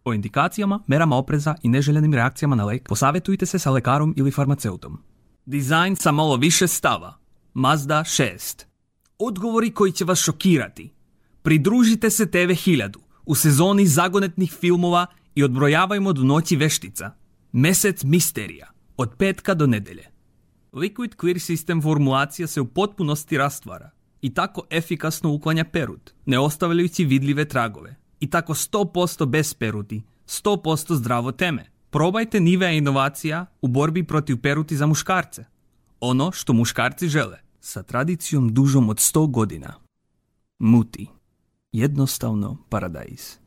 O indikacijama, merama opreza i neželjenim reakcijama na lek posavjetujte se sa lekarom ili farmaceutom. Dizajn sa malo više stava. Mazda 6. Odgovori koji će vas šokirati. Pridružite se TV 1000 u sezoni zagonetnih filmova i odbrojavajmo do noći veštica. Mesec misterija. Od petka do nedelje. Liquid Clear System formulacija se u potpunosti rastvara i tako efikasno uklanja perut, ne ostavljajući vidljive tragove. I tako 100% bez peruti, 100% zdravo teme. Probajte Nivea inovacija u borbi protiv peruti za muškarce. Ono što muškarci žele, sa tradicijom dužom od 100 godina. Muti. Jednostavno paradajz.